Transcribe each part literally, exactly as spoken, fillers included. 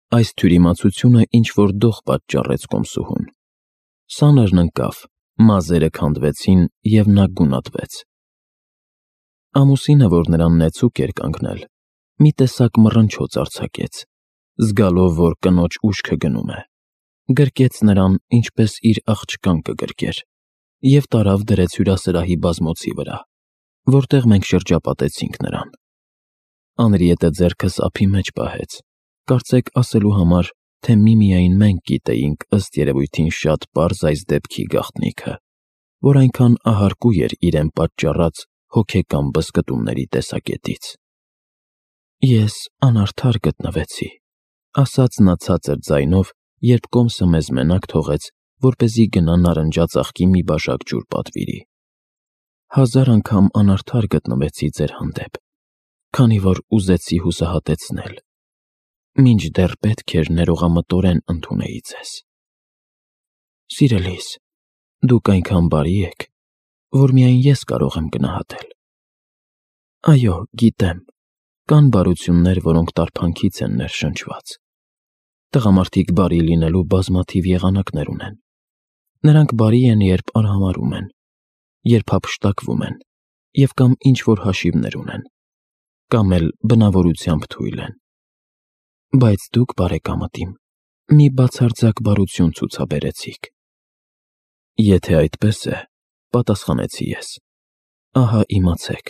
Այս թյուրիմացությունը ինչ-որ դող պատճառեց կոմսուհուն։ Սանրն ընկավ, մազերը քանդվեցին, և նա գունատվեց։ Ամուսինը, որ նրան նեցուկ էր կանգնել, մի տեսակ մռնչոց արձակեց, զգալով, որ կնոջ ուշքը գնում է, գրկեց նրան, ինչպես իր աղջկան կգրկեր, և տարավ դրեց հյուրասրահի բազմոցի վրա, որտեղ մենք շրջապատեցինք նրան։ Անրիետը ձեռքս ափի մեջ պահեց, կարծեք ասելու համար, թե միմիայն մենք գիտեինք ըստ երևույթին շատ պարզ այս դեպքի գաղտնիքը, որ այնքան ահարկու էր իրեն պատճառած հոգեկան բզկտումների տեսակետից։ Ես անարդար գտնվեցի, ասաց նա ցածր ձայնով, երբ կոմսը մեզ մենակ թողեց, որպեսզի գնա նարնջաց աղջկի մի բաժակ ջուր պատվիրի։ Հազար անգամ անարդար գտնվեցի ձեր հանդեպ, քանի որ ուզեցի հուսահատեցնել, մինչդեռ պետք էր ներողամտորեն ընդունեի ձեզ։ Սիրելիս, դուք այնքան բարի եք, որ միայն ես կարող եմ գնահատել։ Այո, գիտեմ, կան բարություններ, որոնք տարփանքից են ներշնչված։ Տղամարդիկ բարի լինելու բազմաթիվ եղանակներ ունեն։ Նրանք բարի են, երբ արհամարհում են, երբ հափշտակվում են, և կամ ինչ-որ հաշիվներ ունեն, կամ էլ բնավորությամբ թույլ են։ Բայց դուք, բարեկամտիմ, մի բացարձակ բարություն ցուցաբերեցիք։ Եթե այդպես է, պատասխանեցի ես, ահա իմացեք,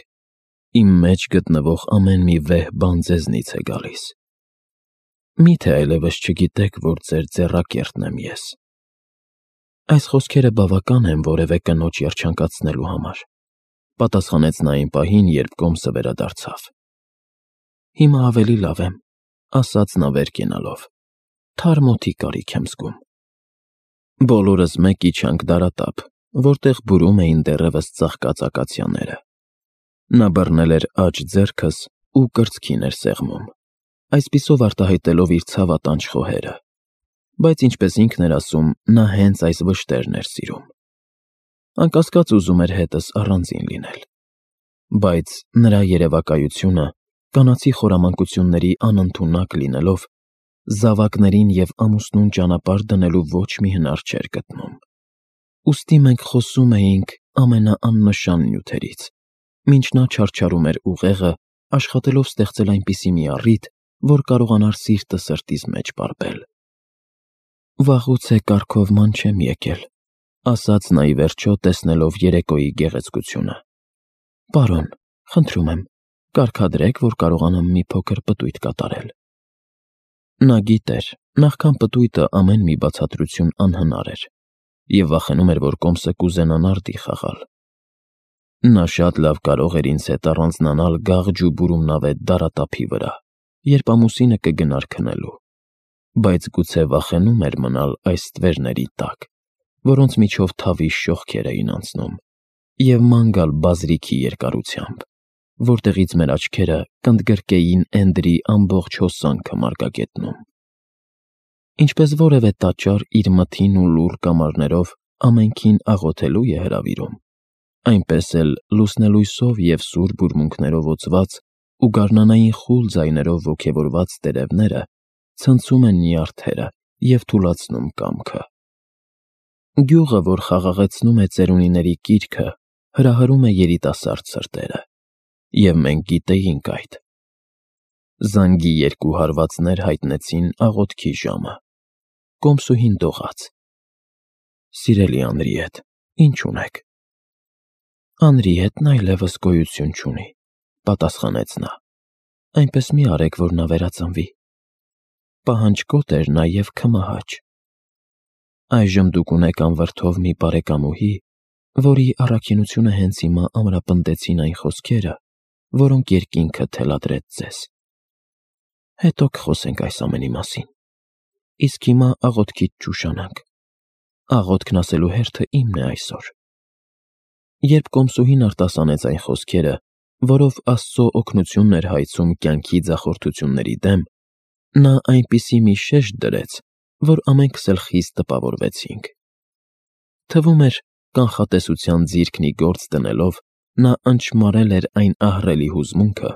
իմ մեջ գտնվող ամեն մի վեհ բան ձեզնից է գալիս։ Մի՞թե այլևս չգիտեք, որ ձեր ձեռակերտն եմ ես։ Այս խոսքերը բավական են որևէ կնոջ երջանկացնելու համար, պատասխանեց նա այն պահին, երբ կոմսը վերադարձավ։ Հիմա ավելի լավ եմ, ասաց նա վեր կենալով, թարմ օդի կարիք եմ զգում։ Բոլորս մեկ իջանք դարատափ, որտեղ բուրում էին դեռևս ծաղկած ակացիաները։ Նա բռնել էր աջ ձեռքս ու կրծքին էր սեղմում, այսպիսով արտահայտելով իր ցավատանջ խոհերը, բայց ինչպես ինքն էր ասում, նա հենց այս վշտերն էր սիրում։ Անկասկած ուզում էր հետս առանձին լինել, բայց նրա երևակայությունը, կանացի խորամանկությունների անընդունակ լինելով, զավակներին և ամուսնուն ճանապարհ դնելու ոչ մի հնար չէր գտնում։ Ուստի մենք խոսում էինք ամենաաննշան նյութերից, մինչ նա չարչարում էր ուղեղը, աշխատելով ստեղծել այնպիսի մի առիթ, որ կարողանար սիրտը սրտիս մեջ պարբել։ Վաղուց է կարգովման չեմ եկել, ասաց նա ի վերջո, տեսնելով երեկոյի գեղեցկությունը։ Պարոն, խնդրում եմ, կարգադրեք, որ կարողանամ մի փոքր պտույտ կատարել։ Նա գիտեր, նախքան պտույտը ամեն մի բացատրություն անհնար էր, և վախենում էր, որ կոմսը կուզենա նարդի խաղալ։ Նա շատ լավ կարող էր ինձ հետ առանձնանալ գաղջ ու բուրումնավետ դարատափի վրա, երբ ամուսինը կգնար քնելու, բայց գուցե վախենում էր մնալ այս ստվերների տակ, որոնց միջով թավի շողքեր էին անցնում, և ման գալ բազրիքի երկարությամբ, որտեղից մեր աչքերը կընդգրկեին Էնդրի ամբողջ հոսանքը մարգագետնում։ Ինչպես որևէ տաճար իր մթին ու լուռ կամարներով ամենքին աղոթելու է հրավիրում, այնպես էլ լուսնելույսով և սուր բուրմունքներով օծված ու գարնանային խուլ ձայներով ոգևորված տերևները ցնցում են նյարդերը և թուլացնում կամքը։ Գյուղը, որ խաղաղեցնում է ծերունիների կիրքը, հրահրում է երիտասարդ սրտերը, և մենք գիտեինք այդ։ Զանգի երկու հարվածներ հայտնեցին աղոթքի ժամը։ Կոմսուհին դողաց. Սիրելի Անրիետ, ի՞նչ ունեք։ Անրիետն այլևս գոյություն չունի, պատասխանեց նա։ Այնպես մի արեք, որ նա վերածնվի։ Պահանջկոտ էր նա և քմահաճ։ Այժմ դուք ունեք անվրդով մի բարեկամուհի, որի առաքինությունը հենց հիմա ամրապնդեցին այն խոսքերը, որոնք երկինքը թելադրեց ձեզ։ Հետո կխոսենք այս ամենի մասին։ Իսկ հիմա աղոթքից չուշանանք։ Աղոթքն ասելու հերթը իմն է այսօր։ Երբ կոմսուհին արտասանեց այն խոսքերը, որով Աստծո օգնությունն էր հայցում կյանքի ձախորդությունների դեմ, նա այնպիսի մի շեշտ դրեց, որ ամենքս էլ խիստ տպավորվեցինք։ Թվում էր, կանխատեսության ձիրքն ի գործ դնելով, նա ընչմարել էր այն ահռելի հուզմունքը,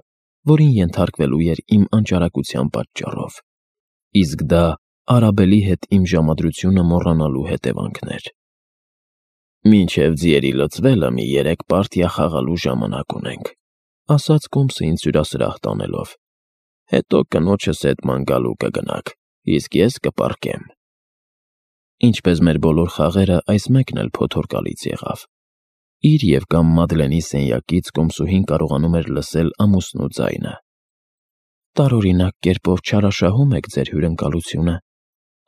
որին ենթարկվելու էր իմ անճարակության պատճառով, իսկ դա Արաբելի հետ իմ ժամադրությունը մոռանալու հետևանքն էր։ «Մինչև ձիերի լցվելը մի երեք պարտիա խաղալու ժամանակ ունենք», ասաց Կոմսը ինձ հյուրասրահ տանելով։ «Հետո կնոջս հետ ման գալու կգնաք, իսկ ես կպառկեմ»։ Ինչպես մեր բոլոր խաղերը, այս մեկն էլ փոթորկալից եղավ։ Իր և կամ Մադլենի սենյակից Կոմսուհին կարողանում էր լսել ամուսնու ձայնը։ «Տարօրինակ կերպով չարաշահում եք ձեր հյուրընկալությունը»,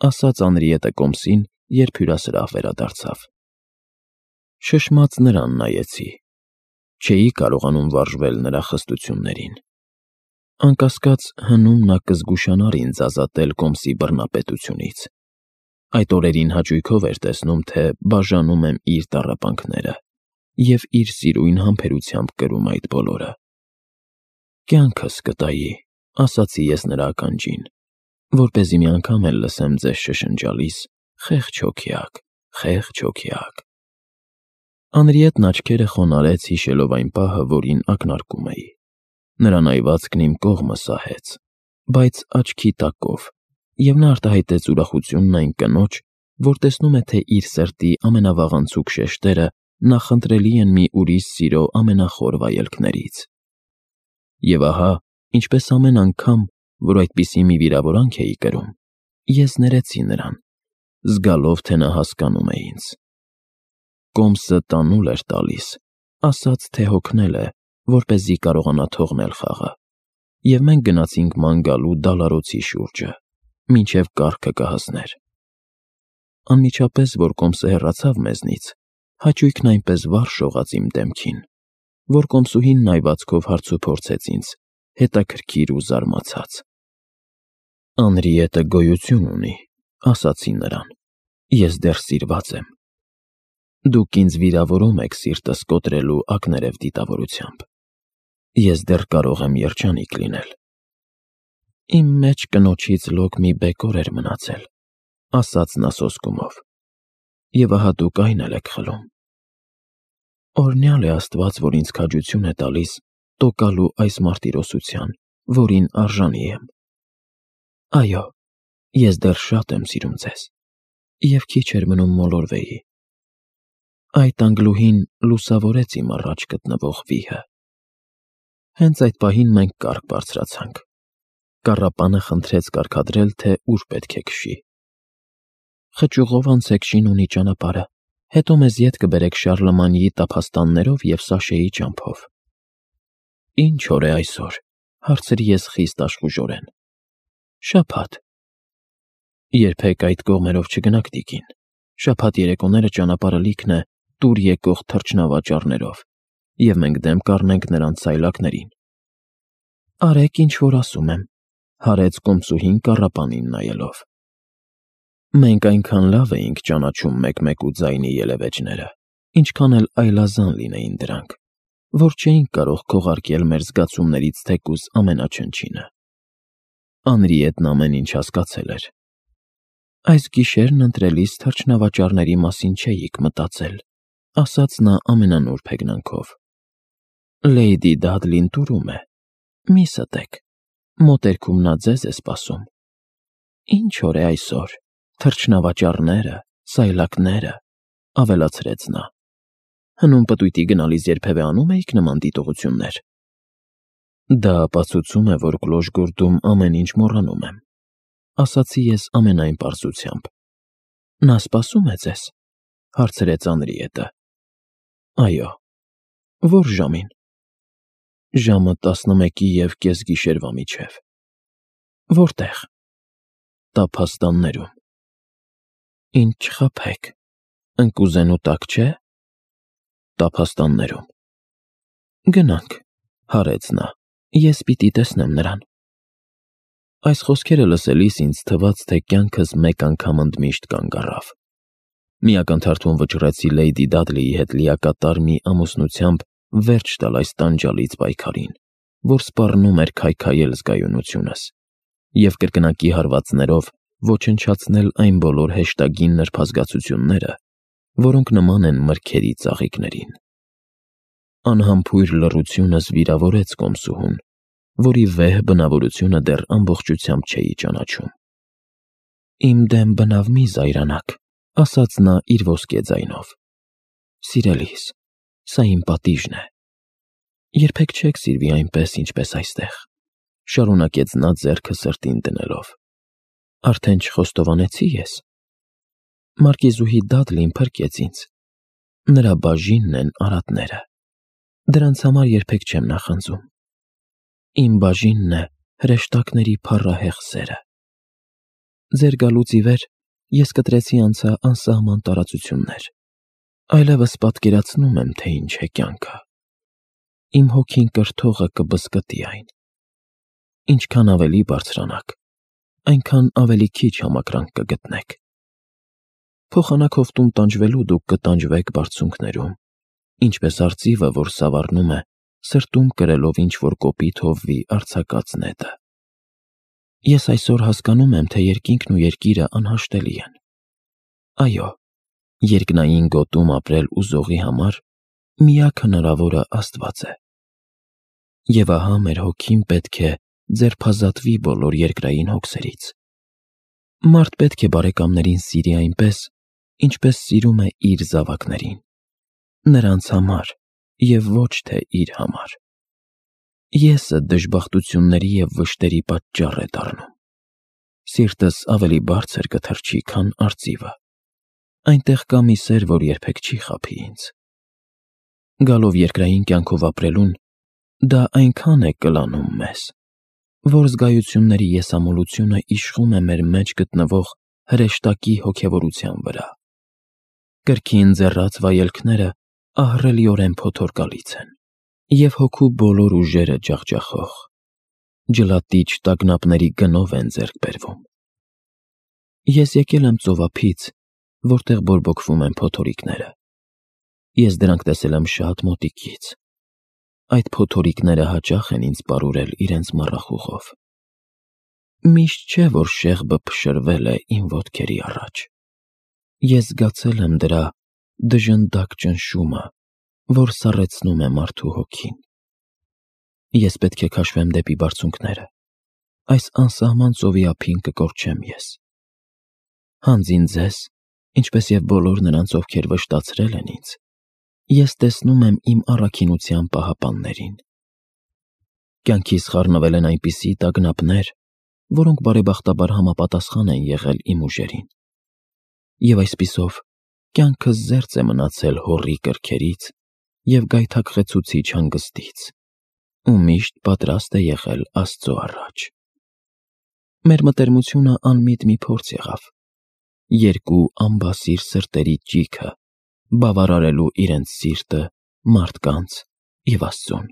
ասաց Անրիետը Կոմսին, երբ հյուրասրահ վերադարձավ։ Շշմած նրան նայեցի։ Չէի կարողանում վարժվել նրա խստություններին։ Անկասկած, հնում նա կզգուշանար ինձ ազատել Կոմսի բռնապետությունից։ Այդ օրերին հաճույքով էր տեսնում, թե բաժանում եմ իր տառապանքները և իր սիրույն համբերությամբ կրում այդ բոլորը։ «Կյանքս կտայի», ասացի ես նրա ականջին, որպեսզի մի անգամ էլ լսեմ ձեզ շշնջալիս. «Խեղճ հոգյակ, խեղճ հոգյակ»։ Անրիետն աչքերը խոնարհեց, հիշելով այն պահը, որին ակնարկում էի։ Նրա նայվածքն իմ կողմը սահեց, բայց աչքի տակով, և նա արտահայտեց ուրախությունն այն կնոջ, որ տեսնում է, թե իր սրտի ամենավաղանցուկ շեշտերը նախընտրելի են մի ուրիշ սիրո ամենախոր վայելքներից։ Եվ ահա, ինչպես ամեն անգամ, որ այդպիսի մի վիրավորանք էի կրում, ես ներեցի նրան, զգալով, թե նա հասկանում է ինձ։ Կոմսը տանուլ էր տալիս, ասաց, թե հոգնել է, որպեսզի կարողանա թողնել խաղը, և մենք գնացինք ման գալու դալարոցի շուրջը, մինչև կառքը կհասներ։ Անմիջապես, որ Կոմսը հեռացավ մեզնից, հաճույքն այնպես վառ շողաց իմ դեմքին, որ Կոմսուհին նայվածքով հարցուփորձեց ինձ, հետաքրքիր ու զարմացած։ «Անրիետը գոյություն ունի», ասացի նրան, «ես դեռ սիրված եմ։ Դուք ինձ վիրավորում եք սիրտս կոտրելու ակներև դիտավորությամբ։ Ես դեռ կարող եմ երջանիկ լինել»։ «Իմ մեջ կնոջից լոկ մի բեկոր էր մնացել», ասաց նա սոսկումով, «և ահա դուք այն էլ եք խլում։ Օրհնյալ է Աստված, որ ինձ քաջություն է տալիս տոկալու այս մարտիրոսության, որին արժանի եմ։ Այո, ես դեռ շատ եմ սիրում ձեզ, և քիչ էր մնում մոլորվեի»։ Այդ անգլուհին լուսավորեց իմ առաջ գտնվող վիհը։ Հենց այդ պահին մենք կառք բարձրացանք։ Կառապանը խնդրեց կարգադրել, թե ուր պետք է քշի։ «Խճուղով անցեք Շինունի ճանապարհը, հետո մեզ ետ կբերեք Շարլմանիի տափաստաններով և Սաշեի ճամփով»։ «Ինչ օր է այսօր», հարցրի ես խիստ աշխուժորեն։ «Շաբաթ»։ «Երբեք այդ կողմերով չգնաք, տիկին։ Շաբաթ երեկոները ճանապարհը լիքն է տուր եկող թռչնավաճառներով, և մենք դեմ կառնենք նրանց սայլակներին»։ «Արեք, ինչ որ ասում եմ», հարեց Կոմսուհին կառապանին նայելով։ Մենք այնքան լավ էինք ճանաչում մեկ֊մեկու ձայնի ելևէջները, ինչքան էլ այլազան լինեին դրանք, որ չէինք կարող քողարկել մեր զգացումներից թեկուզ ամենաչնչինը։ Անրիետն ամեն ինչ հասկացել էր։ «Այս գիշերն ընտրելիս թռչնավաճառների մասին չէիք մտածել», ասաց նա ամենանուրբ հեգնանքով։ «Լեյդի Դադլին տուրում է, մի ստեք, մոտերքում նա ձեզ է սպասում։ Ինչ օր է այսօր, թռչնավաճառները, սայլակները», ավելացրեց նա։ «Հնում պտույտի գնալիս երբևէ անում էիք նման դիտողություններ»։ «Դա ապացուցում է, որ Կլոժգորդում ամեն ինչ մոռանում եմ», ասացի ես ամենայն պարզությամբ։ «Նա սպասում է ձեզ», հարցրեց Անրիետը։ «Այո»։ «Ո՞ր ժամին»։ «Ժամը տասնմեկի և կեսգիշերվա միջև»։ «Որտե՞ղ»։ «Տափաստաններում»։ «Ինձ չխաբեք, ընկուզենու տակ չէ՞։ «Տափաստաններում»։ «Գնանք», հարեց նա, «ես պիտի տեսնեմ նրան»։ Այս խոսքերը լսելիս ինձ թվաց, թե կյանքս մեկ անգամ ընդմիշտ կանգ առավ։ Մի ակնթարթում վճռեցի Լեյդի Դադլիի հետ լիակատար մի ամուսնությամբ վերջ տալ այս տանջալից պայքարին, որ սպառնում էր քայքայել զգայունությունս, և կրկնակի հարվածներով ոչնչացնել այն բոլոր հեշտագին նրբազգացությունները, որոնք նման են մրգերի ծաղիկներին։ Անհամբույր լռությունս վիրավորեց Կոմսուհուն, որի վեհ բնավորությունը դեռ ամբողջությամբ չէի ճանաչում։ Իմ դեմ բնավ մի զայրանաք, ասաց նա իր ոսկե ձայնով։ Սիրելիս, սա իմ պատիժն է։ Երբեք չեք սիրվի այնպես, ինչպես այստեղ, շարունակեց նա ձեռքը սրտին դնելով։ Արդեն չխոստովանեցի ես։ Մարկիզուհի Դադլին փրկեց ինձ։ Նրա բաժինն են արատները։ Դրանց համար երբեք չեմ նախանձում։ Իմ բաժինն է հրեշտակների փառահեղ սերը։ Ձեր գալուց ի վեր ես կտրեցի անցա անսահման տարածություններ։ Այլևս պատկերացնում եմ, թե ինչ է կյանքը։ Իմ հոգին կրթողը կբզկտի այն։ Ինչքան ավելի բարձրանաք, այնքան ավելի քիչ համակրանք կգտնեք։ Փոխանակով տուն տանջվելու դուք կտանջվեք բարձունքներում, ինչպես արծիվը, որ սավառնում է, սրտում կրելով ինչ-որ կոպիտ հովվի արձակած նետը։ Ես այսօր հասկանում եմ, թե երկինքն ու երկիրը անհաշտելի են։ Այո, երկնային գոտում ապրել ուզողի համար միակ հնարավորը Աստված է։ Եվ ահա մեր հոգին պետք է ձերբազատվի բոլոր երկրային հոգսերից։ Մարդ պետք է բարեկամներին սիրի այնպես, ինչպես սիրում է իր զավակներին, նրանց համար և ոչ թե իր համար։ Եսը դժբախտությունների և վշտերի պատճառ է դառնում։ Սիրտս ավելի բարձր կթռչի, քան արծիվը։ Այնտեղ կա մի սեր, որ երբեք չի խաբի ինձ։ Գալով երկրային կյանքով ապրելուն, դա այնքան է կլանում մեզ, որ զգայությունների եսամոլությունը իշխում է մեր մեջ գտնվող հրեշտակի հոգևորության վրա։ Կրքին ձեռած վայելքները ահռելիորեն փոթորկալից են, և հոգու բոլոր ուժերը ջախջախող, ջլատիչ տագնապների գնով են ձեռք բերվում։ Ես եկել եմ ծովափից, որտեղ բորբոքվում են փոթորիկները։ Ես դրանք տեսել եմ շատ մոտիկից։ Այդ փոթորիկները հաճախ են ինձ պարուրել իրենց մառախուղով։ Միշտ չէ, որ շեղբը փշրվել է իմ ոտքերի առաջ։ Ես զգացել եմ դրա դժնդակ ճնշումը, որ սառեցնում է մարդու հոգին։ Ես պետք է քաշվեմ դեպի բարձունքները։ Այս անսահման ծովի ափին կկորչեմ ես։ Հանձին ձեզ, ինչպես և բոլոր նրանց, ովքեր վշտացրել են ինձ, ես տեսնում եմ իմ առաքինության պահապաններին։ Կյանքիս խառնվել են այնպիսի տագնապներ, որոնք բարեբախտաբար համապատասխան են եղել իմ ուժերին։ Եվ այսպիսով կյանքս զերծ է մնացել հոռի կրքերից և գայթակղեցուցիչ հանգստից, ու միշտ պատրաստ է եղել Աստծո առաջ։ Մեր մտերմությունը անմիտ մի փորձ եղավ։ Երկու անբասիր սրտերի ճիգը բավարարելու իրենց սիրտը մարդկանց և Աստծուն։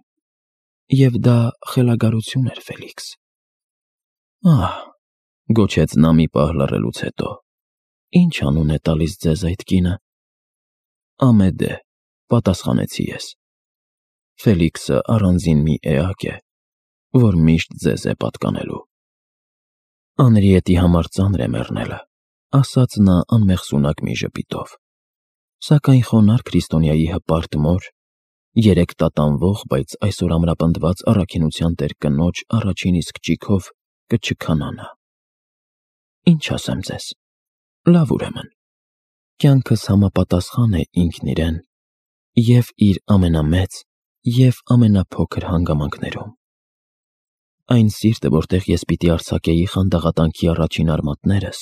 Եվ դա խելագարություն էր, Ֆելիքս։ Ահ, գոչեց նա մի պահ լռելուց հետո, ի՞նչ անուն է տալիս ձեզ այդ կինը։ Ամեդե, պատասխանեցի ես։ Ֆելիքսը առանձին մի էակ է, որ միշտ ձեզ է պատկանելու։ Անրիետի համար ծանր է մեռնելը, ասաց նա անմեղսունակ մի ժպիտով։ Սակայն խոնարհ քրիստոնյայի հպարտ մոր, երեկ տատանվող, բայց այսօր ամրապնդված առաքինության տեր կնոջ առաջին իսկ ճիգով կչքանա նա։ Ինչ ասեմ ձեզ։ Լավ, ուրեմն, կյանքս համապատասխան է ինքն իրեն և իր ամենամեծ և ամենափոքր հանգամանքներում։ Այն սիրտը, որտեղ ես պիտի արձակեի խանդաղատանքի առաջին արմատներս,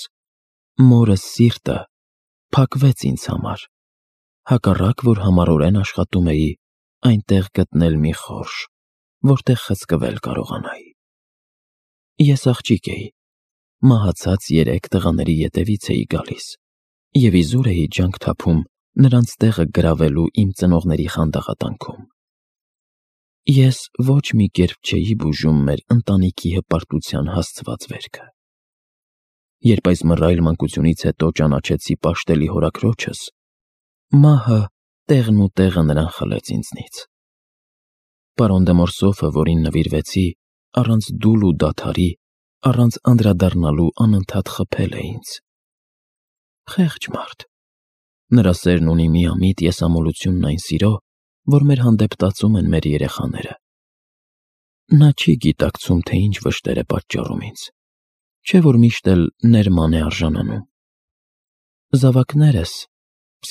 մորս սիրտը, փակվեց ինձ համար, հակառակ որ համառորեն աշխատում էի այնտեղ գտնել մի խորշ, որտեղ խցկվել կարողանայի։ Ես աղջիկ էի, մահացած երեք տղաների ետևից էի գալիս և իզուր էի ջանք թափում նրանց տեղը գրավելու իմ ծնողների խանդաղատանքում։ Ես ոչ մի կերպ չէի բուժում մեր ընտանիքի հպարտության հասցված վերքը։ Երբ այս մռայլ մանկությունից հետո ճանաչեցի պաշտելի հորաքրոջս, մահը տեղն ու տեղը նրան խլեց ինձնից։ Պարոն դե Մորսոֆը, որին նվիրվեցի, առանց դուլ ու դադարի, առանց անդրադառնալու անընդհատ խփել է ինձ։ Խեղճ մարդ։ Նրա սերն ունի միամիտ եսամոլությունն այն սիրո, որ մեր հանդեպ տածում են մեր երեխաները։ Նա չի գիտակցում, թե ինչ վշտեր է պատճառում ինձ։ չէ որ միշտ էլ ներման է արժանանում։ Զավակներս,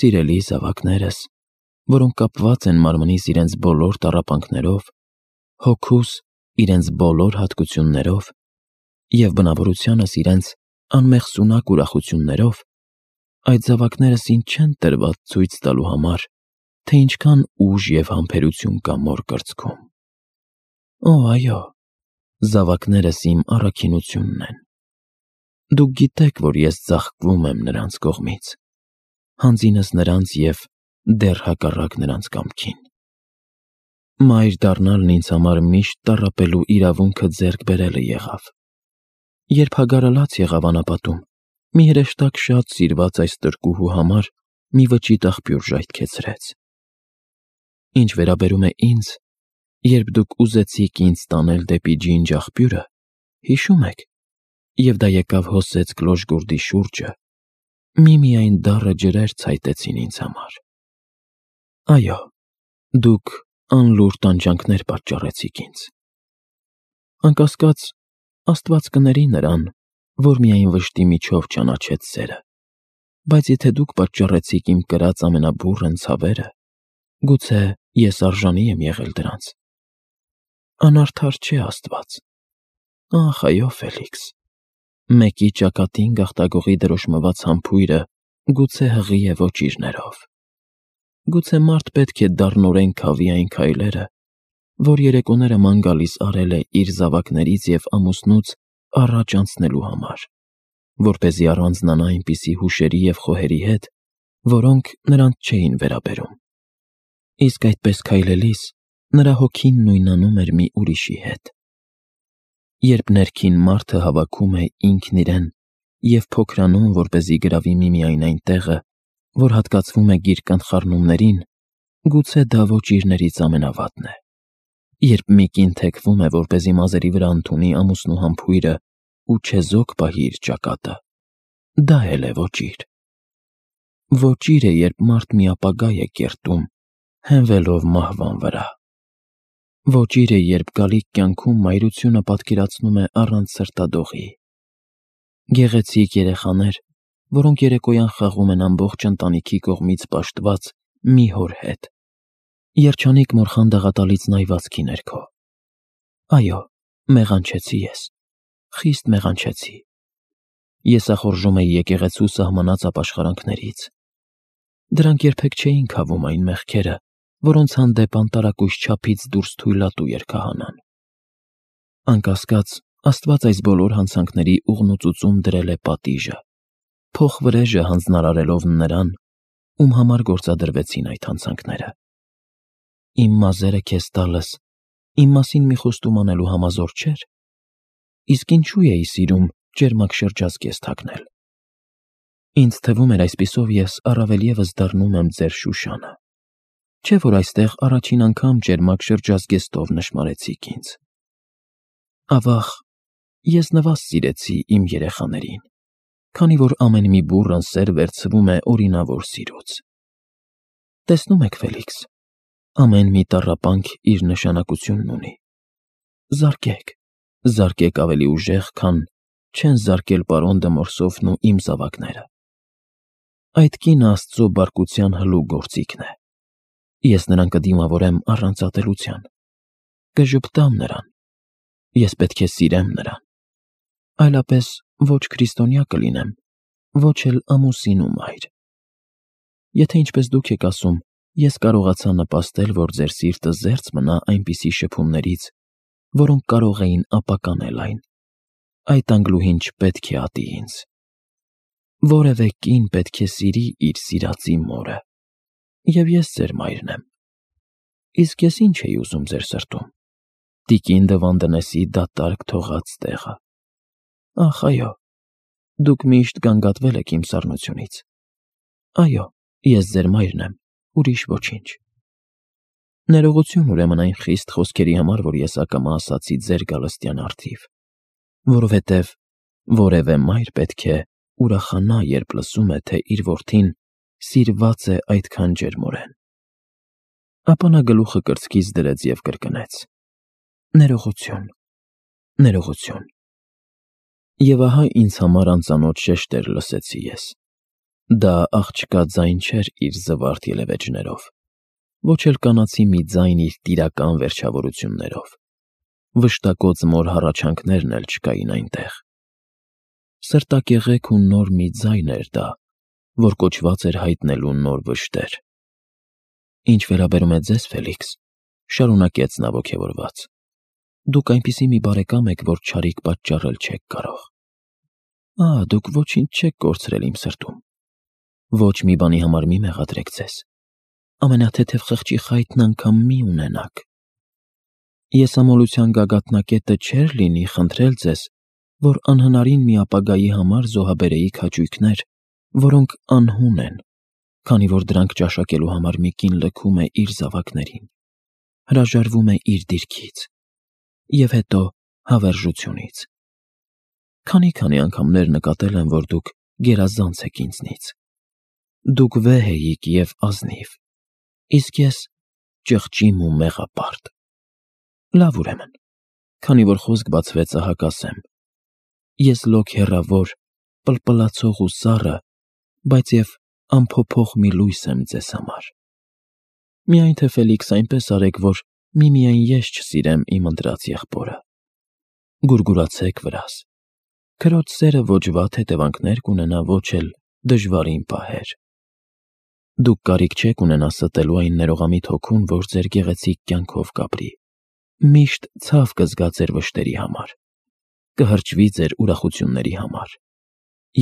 սիրելի զավակներս, որոնք կապված են մարմնիս իրենց բոլոր տառապանքներով, հոգուս իրենց բոլոր հատկություններով և բնավորությանս իրենց անմեղսունակ ուրախություններով, այդ զավակներս ինձ չեն տրված ցույց տալու համար, թե ինչքան ուժ և համբերություն կա մոր կրծքում։ Օ, այո, զավակներս իմ առաքինությունն են։ Դուք գիտեք, որ ես ծաղկվում եմ նրանց կողմից, հանձինս նրանց և դեռ հակառակ նրանց կամքին։ Մայր դառնալն ինձ համար միշտ տառապելու իրավունքը ձեռք բերելը եղավ։ Երբ Հագարը լաց եղավ անապատում, մի հրեշտակ շատ սիրված այս տրկուհու համար մի վճիտ աղբյուր ժայթքեցրեց։ Ինչ վերաբերում է ինձ, երբ դուք ուզեցիք ինձ տանել դեպի ջինջ աղբյուրը, հիշում եք, և դա եկավ հոսեց կլոր-գորդի շուրջը, միմիայն դառը ջրեր ցայտեցին ինձ համար։ Այո, դուք անլուր տանջանքներ պատճառեցիք ինձ։ Անկասկած, Աստված կների նրան, որ միայն վշտի միջով ճանաչեց սերը, բայց եթե դուք պատճառեցիք իմ կրած ամենաբուռն ցավերը, գուցե ես արժանի եմ եղել դրանց։ Անարդար չէ Աստված։ Ախ, այո, Ֆելիքս, մեկի ճակատին գաղտագողի դրոշմված համբույրը գուցե հղի է ոճիրներով։ Գուցե մարդ պետք է դառնորեն քավի այն քայլերը, որ երեկոները ման գալիս արել է իր զավակներից և ամուսնուց առաջ անցնելու համար, որպեսզի առանձնանա այնպիսի հուշերի և խոհերի հետ, որոնք նրանց չէին վերաբերում։ Իսկ այդպես քայլելիս նրա հոգին նույնանում էր մի ուրիշի հետ։ Երբ ներքին մարդը հավաքում է ինքն իրեն և փոքրանում, որպեսզի գրավի միմիայն այն տեղը, որ հատկացվում է գիրկան խառնումներին, գուցե դա ոճիրներից ամենավատն է։ Երբ մի կին թեքվում է, որպեսզի մազերի վրա ընդունի ամուսնու համբույրը ու չեզոք պահի իր ճակատը, դա էլ է ոճիր։ Ոճիր է, երբ մարդ մի ապագա է կերտում, հենվելով մահվան վրա։ Ոճիր է, երբ գալիք կյանքում մայրությունը պատկերացնում է առանց սրտադողի։ Գեղեցիկ երեխաներ, որոնք երեկոյան խաղում են ամբողջ ընտանիքի կողմից պաշտված մի հոր հետ, երջանիկ մոր խանդաղատալից նայվածքի ներքո։ Այո, մեղանչեցի ես, խիստ մեղանչեցի։ Ես ախորժում էի եկեղեցու սահմանած ապաշխարանքներից։ Դրանք երբեք չէին քավում այն մեղքերը, որոնց հանդեպ անտարակույս չափից դուրս թույլատու էր քահանան։ Անկասկած, Աստված այս բոլոր հանցանքների ուղնուծուծում դրել է պատիժը, փոխվրեժը հանձնարարելով նրան, ում համար գործադրվեցին այդ հանցանքները։ Իմ մազերը քեզ տալս իմ մասին մի խոստում անելու համազոր չէր։ Իսկ ինչու էի սիրում ճերմակ շրջած կես թաքնել։ Ինձ թվում էր այսպիսով ես առավել ևս դառնում եմ ձեր Շուշանը։ Չէ՞ որ այստեղ առաջին անգամ ճերմակ շրջած գեստով նշմարեցիք ինձ։ Ավաղ, ես նվազ սիրեցի իմ երեխաներին, քանի որ ամեն մի բուռն սեր վերցվում է օրինավոր սիրուց։ Տեսնում եք, Ֆելիքս, ամեն մի տառապանք իր նշանակությունն ունի։ Զարկեք, զարկեք ավելի ուժեղ, քան չեն զարկել պարոն Դմորսոֆն ու իմ զավակները։ Այդ կինը Աստծո բարկության հլու գործիքն է։ Ես նրան կդիմավորեմ առանց ատելության, կժպտամ նրան, ես պետք է սիրեմ նրան, այլապես ոչ քրիստոնյա կլինեմ, ոչ էլ ամուսին ու մայր։ Եթե ինչպես դուք եք ասում, ես կարողացա նպաստել, որ ձեր սիրտը զերծ մնա այնպիսի շփումներից, որոնք կարող էին ապականել այն, այդ անգլուհին չպետք է ատի ինձ։ Որևէ կին պետք է սիրի իր սիրածի մորը, և ես ձեր մայրն եմ։ Իսկ ես ինչ էի ուզում ձեր սրտում։ Տիկին Դվանդենեսի դատարկ թողած տեղը։ Ախ, այո, դուք միշտ գանգատվել եք իմ սառնությունից։ Այո, ես ձեր մայրն եմ, ուրիշ ոչինչ։ Ներողություն ուրեմն այն խիստ խոսքերի համար, որ ես ակամա ասացի ձեր գալստյան առթիվ, որովհետև որևէ մայր պետք է ուրախանա, երբ լսում է, թե իր որդին սիրված է այդքան ջերմորեն։ Ապա նա գլուխը կրծքից դրեց և կրկնեց. Ներողություն, ներողություն։ Եվ ահա ինձ համար անծանոթ շեշտեր լսեցի ես. դա աղջկա ձայն չէր իր զվարթ ելևէջներով, ոչ էլ կանացի մի ձայն իր տիրական վերջավորություններով, վշտակոծ մոր հառաչանքներն էլ չկային այնտեղ. սրտակեղեք ու նոր մի ձայն էր դա, որ կոչված էր հայտնելու նոր վշտեր։ Ինչ վերաբերում է ձեզ, Ֆելիքս, շարունակեց նա ոգևորված, դուք այնպիսի մի բարեկամ եք, որ չարիք պատճառել չեք կարող։ Ահա, դուք ոչինչ չեք կորցրել իմ սրտում։ Ոչ մի բանի համար մի մեղադրեք ձեզ, ամենաթեթև խղճի խայտն անգամ մի ունենաք։ Ես ամոլության գագաթնակետը չէր լինի խնդրել ձեզ, որ անհնարին մի ապագայի համար զոհաբերեիք հաճույքներ, որոնք անհուն են, քանի որ դրանք ճաշակելու համար մի կին լքում է իր զավակներին, հրաժարվում է իր դիրքից և հետո հավերժությունից։ Քանի-քանի անգամներ նկատել եմ, որ դուք գերազանց եք ինձնից։ Դուք վեհ էիք և ազնիվ, իսկ ես ճղճիմ ու մեղապարտ։ Լավ, ուրեմն, քանի որ խոսք բացվեց, ահա կասեմ. ես լոկ հեռավոր, պլպլացող ու սառը, բայց և անփոփոխ մի լույս եմ ձեզ համար։ Միայն թե, Ֆելիքս, այնպես արեք, որ միմիայն ես չսիրեմ իմ ընտրած եղբորը։ Գուրգուրացեք վրաս, քրոջ սերը ոչ վատ հետևանքներ կունենա, ոչ էլ դժվարին պահեր։ Դուք կարիք չեք ունենա ստելու այն ներողամիտ հոգուն, որ ձեր գեղեցիկ կյանքով կապրի, միշտ ցավ կզգա ձեր վշտերի համար, կհրճվի ձեր ուրախությունների համար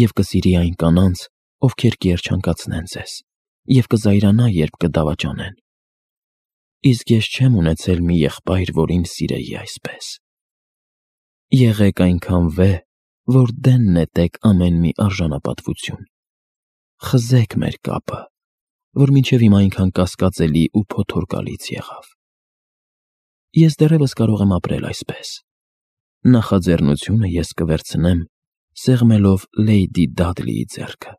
և կսիրի այն կանանց, ովքեր կերջանկացնեն ձեզ և կզայրանա, երբ կդավաճանեն։ Իսկ ես չեմ ունեցել մի եղբայր, որ ինձ սիրեի այսպես։ Եղեք այնքան վեհ, որ դեն նետեք ամեն մի արժանապատվություն։ Խզեք մեր կապը, որ մինչև հիմա այնքան կասկածելի ու փոթորկալից եղավ։ Ես դեռևս կարող եմ ապրել այսպես։ Նախաձեռնությունը ես կվերցնեմ՝ սեղմելով Լեյդի Դադլիի ձեռքը։